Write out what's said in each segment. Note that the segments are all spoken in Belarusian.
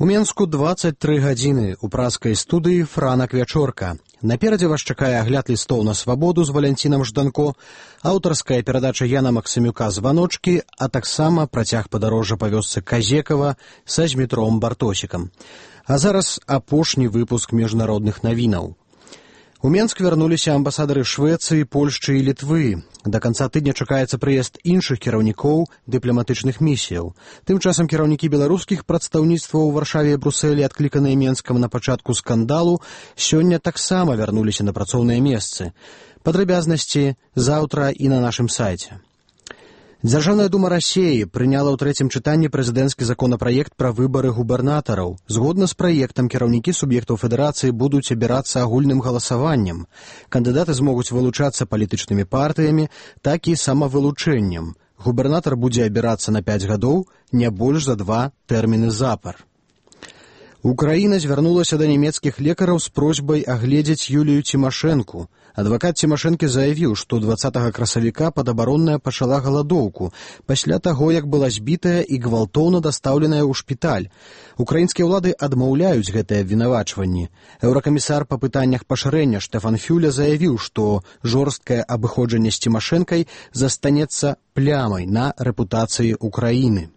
У Менску 23 гадзіны. У праскай студыі Франак Вячорка. Наперадзе вас чакае агляд лістоў на свабоду з Валянцінам Жданко, аўтарская перадача Яна Максымюка «Званочкі», а таксама працяг падарожжа па вёсцы Казекава са Змітром Бартосікам. А зараз апошні выпуск міжнародных навінаў. У Менск вярнуліся амбасадары Швецыі, Польшчы і Літвы. Да канца тыдня чакаецца прыезд іншых кіраўнікоў дыпламатычных місіяў. Тым часам кіраўнікі беларускіх прадстаўніцтваў у Варшаве і Брусэлі, адкліканыя Менскам на пачатку скандалу, сёння таксама вярнуліся на працоўныя месцы. Падрабязнасці заўтра і на нашым сайце. Дзяржаўная дума Расіі прыняла ў трэцім чытанні прэзідэнцкі законапраект пра выбары губернатараў. Згодна з праектам, кіраўнікі суб'ектаў федэрацыі будуць абірацца агульным галасаваннем. Кандыдаты змогуць вылучацца палітычнымі партыямі, так і самавылучэннем. Губернатар будзе абірацца на 5 гадоў, не больш за 2 тэрміны запар. Украіна звярнулася да нямецкіх лекараў з просьбай агледзець Юлію Цімашэнку. Адвакат Цімашэнкі заявіў, што 20 красавіка падабаронная пачала галадоўку пасля таго, як была збітая і гвалтоўна дастаўленая ў шпіталь. Украінскія ўлады адмаўляюць гэтыя абвінавачванні. Еўракамісар па пытаннях пашырэння Штэфан Фюля заявіў, што жорсткае абыходжанне з Цімашэнкай застанецца плямай на рэпутацыі Украіны.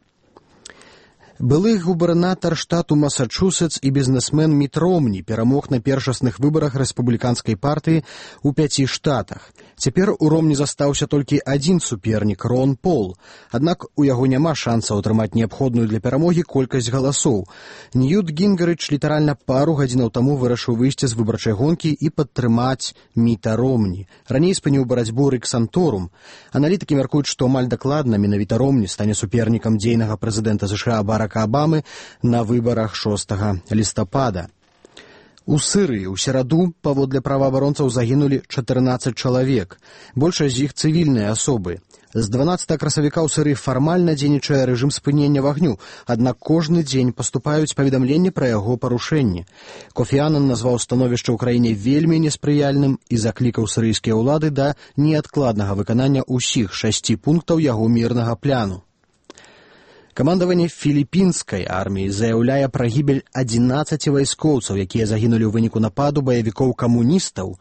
Былы губернатар штату Масачусетс і бізнесмен Міт Ромні перамог на першасных выбарах рэспубліканскай партыі ў 5 штатах. Цяпер у Ромні застаўся толькі адзін супернік — Рон Пол. Аднак у яго няма шансаў атрымаць неабходную для перамогі колькасць галасоў. Ньют Гінгерыч літаральна пару гадзінаў таму вырашыў выйсці з выбарчай гонкі і падтрымаць Міта Ромні. Раней спыніў барацьбу Рык Санторум. Аналітыкі мяркуюць, што амаль дакладна менавіта Ромні стане супернікам дзейнага прэзідэнта США Барака Абамы на выбарах 6 лістапада. У Сырыі ў сераду, паводле праваабаронцаў, загінулі 14 чалавек. Большасць з іх цывільныя асобы. З 12 красавіка ў Сырыі фармальна дзейнічае рэжым спынення вагню, аднак кожны дзень паступаюць паведамленні пра яго парушэнні. Кофі Аннан назваў становішча ў краіне вельмі неспрыяльным і заклікаў сырыйскія ўлады да неадкладнага выканання ўсіх 6 пунктаў яго мірнага пляну. Камандаванне філіпінскай арміі заяўляе пра гібель 11 вайскоўцаў, якія загінулі ў выніку нападу баевікоў-камуністаў.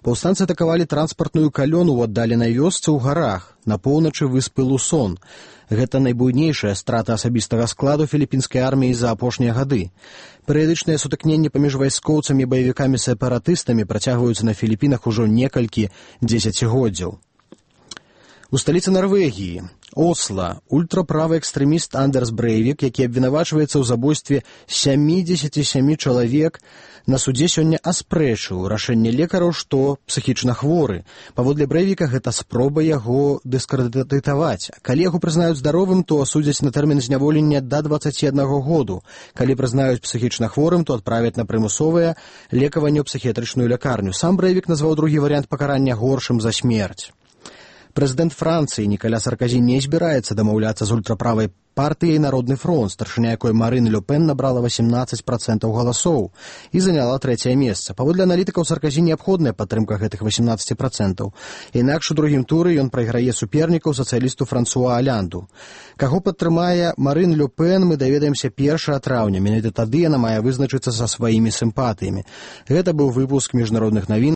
Паўстанцы атакавалі транспартную калёну ў аддаленай вёсцы ў гарах на поўначы выспы Лусон. Гэта найбуйнейшая страта асабістага складу філіпінскай арміі за апошнія гады. Перыядычныя сутыкненні паміж вайскоўцамі і баевікамі-сепаратыстамі працягваюцца на Філіпінах ужо некалькі дзесяцігоддзяў. У сталіцы Нарвегіі, Осла, ультраправы экстрэміст Андерс Брэйвік, які абвінавачваецца ў забойстве 77 чалавек, на судзе сёння аспрэчыў рашэнне лекараў, што псіхічна хворы. Паводле Брэйвіка, гэта спроба яго дыскрэдытаваць. Калі яго прызнаюць здаровым, то асудзяць на тэрмін зняволення да 21 году. Калі прызнаюць псіхічна хворым, то адправяць на прымусовае лекаванне ў псіхіятрычную лякарню. Сам Брэйвік назваў другі варыянт пакарання горшым за смерць. Прэзідэнт Францыі Нікаля Сарказі не збіраецца дамаўляцца з ультраправай партыяй «Народны фронт», старшыня якой Марын Ле Пен набрала 18% галасоў і заняла 3-е месца. Паводле аналітыкаў, Сарказі неабходная падтрымка гэтых 18%. Інакш у другім туры ён прайграе супернікаў сацыялісту Франсуа Алянду. Каго падтрымае Марын Ле Пен, мы даведаемся 1 траўня. Менавіта тады яна мае вызначыцца са сваімі сімпатыямі. Гэта быў выпуск міжнародных навін.